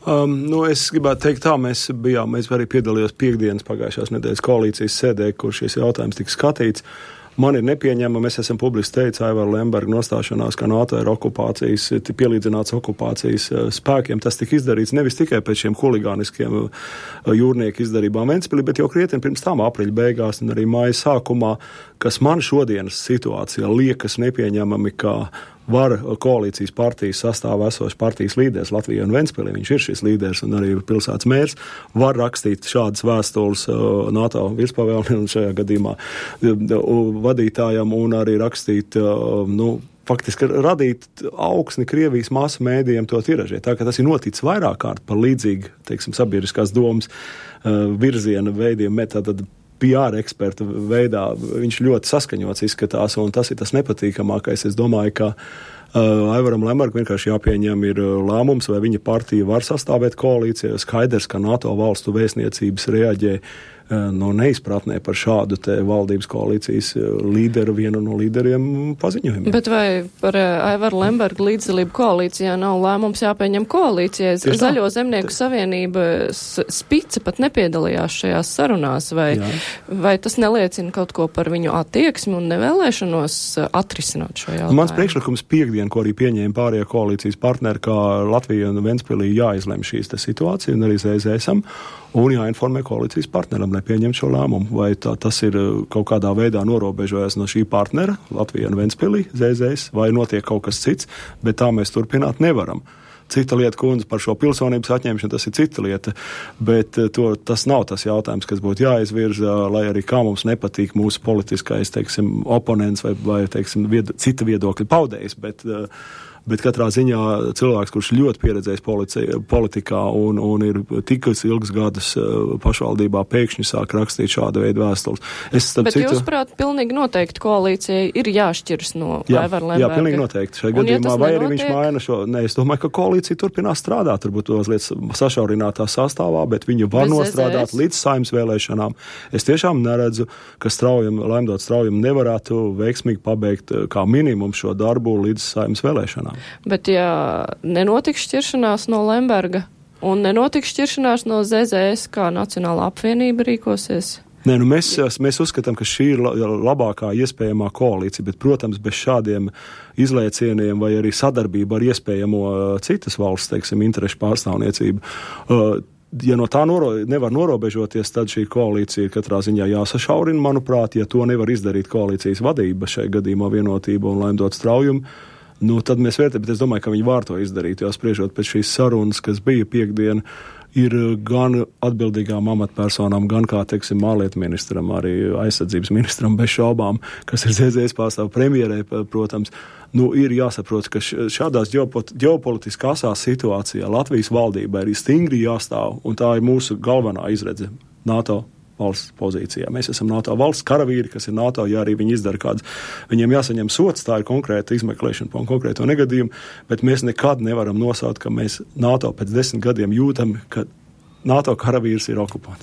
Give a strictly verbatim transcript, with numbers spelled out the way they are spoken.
Um, nu, es gribētu teikt tā, mēs bijām, mēs arī piedalījos piekdienas pagājušās nedēļas koalīcijas sēdē, kur šis jautājums tika skatīts. Man ir nepieņemama, mēs esam publiski teicis, Aivara Lemberga nostāšanās, ka NATO ir okupācijas, pielīdzināts okupācijas spēkiem. Tas tika izdarīts nevis tikai pēc šiem huligāniskiem jūrnieku izdarībām Ventspilī, bet jau krietni pirms tam aprīļa beigās un arī māja sākumā, kas man šodienas situācijā liekas nepieņemami, kā var koalīcijas partijas sastāvā esošs partijas līderis Latvijā un Ventspilī, viņš ir šis līderis un arī pilsētas mērs, var rakstīt šādas vēstules NATO virspavēlnim šajā gadījumā vadītājam un arī rakstīt, nu, faktiski radīt augsni Krievijas masu mēdījiem to tiražēt. Tā kā tas ir noticis vairāk kārt par līdzīgi, teiksim, sabiedriskās domas virziena veidiem, tātad P R eksperta veidā viņš ļoti saskaņots izskatās, un tas ir tas nepatīkamākais. Es domāju, ka uh, Aivaram Lembergam vienkārši jāpieņem ir lēmums, vai viņa partija var sastāvēt koalīcijā. Skaidrs, ka NATO valstu vēstniecības reaģē no neizpratnē par šādu te valdības koalīcijas līderu, vienu no līderiem paziņojumiem. Bet vai par Aivaru Lembergu līdzdalību koalīcijā nav lēmums jāpieņem koalīcijai? Zaļo zemnieku savienība Spice pat nepiedalījās šajās sarunās, vai, vai tas neliecina kaut ko par viņu attieksmi un nevēlēšanos atrisināt šo jautājumu? Mans priekšlikums piekdien, ko arī pieņēma pārējie koalīcijas partneri, kā Latvija un Ventspilī jāizlem šīs te situācija un arī Z Z S am, un jāinformē koalīcijas partneram, nepieņemt šo lēmumu, vai tā, tas ir kaut kādā veidā norobežojas no šī partnera, Latvija un Ventspilī, Z Z S, vai notiek kaut kas cits, bet tā mēs turpināt nevaram. Cita lieta, kundze, par šo pilsonības atņemšanu, tas ir cita lieta, bet to, tas nav tas jautājums, kas būtu jāizvirza, lai arī kā mums nepatīk mūsu politiskais, teiksim, oponents vai, vai teiksim, vied, cita viedokļa paudējs, bet uh, Bet katrā ziņā cilvēks, kurš ļoti pieredzējis policija, politikā un, un ir tikus ilgus gadus pašvaldībā, pēkšņi sāk rakstīt šādu veidu vēstules. Es, bet citu... jūs prāt, pilnīgi noteikti koalīcijai ir jāšķiras no Aivara Lemberga? Jā, pilnīgi noteikti. Šajā gadījumā, ja vai arī viņš maina šo... Nē, es domāju, ka koalīcija turpinās strādāt, turbūt mazliet sašaurinātā sastāvā, bet viņa var bez nostrādāt Z Z S līdz saimnes vēlēšanām. Es tiešām neredzu, ka straujam, Lemdot straujam nevarētu veiksmīgi pabeigt kā minimum šo darbu līdz saimnes vēlēšanām. Bet ja nenotiks šķiršanās no Lemberga un nenotiks šķiršanās no Z Z S, kā Nacionālā apvienība rīkosies? Nē, nu mēs, mēs uzskatām, ka šī ir labākā iespējamā koalīcija, bet, protams, bez šādiem izlēcieniem vai arī sadarbību ar iespējamo citas valsts, teiksim, interešu pārstāvniecību, ja no tā noro, nevar norobežoties, tad šī koalīcija ir katrā ziņā jāsašaurina, manuprāt, ja to nevar izdarīt koalīcijas vadība, šai gadījumā Vienotība un Lemdot straujumu, nu, tad mēs vērtējam, bet es domāju, ka viņi var to izdarīt, jo spriežot pēc šīs sarunas, kas bija piekdien, ir gan atbildīgām amatpersonām, gan kā, teiksim, ārlietu ministram, arī aizsardzības ministram bez šaubām, kas ir Z Z S pārstāv premjerē, protams, nu, ir jāsaprot, ka šādās ģeopolitiskā asās situācijā Latvijas valdībai ir stingri jāstāv, un tā ir mūsu galvenā izredze NATO valsts pozīcijā. Mēs esam NATO valsts karavīri, kas ir NATO, ja arī viņi izdara kādas, viņiem jāsaņem sots, tā ir konkrēta izmeklēšana par konkrēto negadījumu, bet mēs nekad nevaram nosaukt, ka mēs NATO pēc desmit gadiem jūtam, ka NATO karavīrs ir okupants.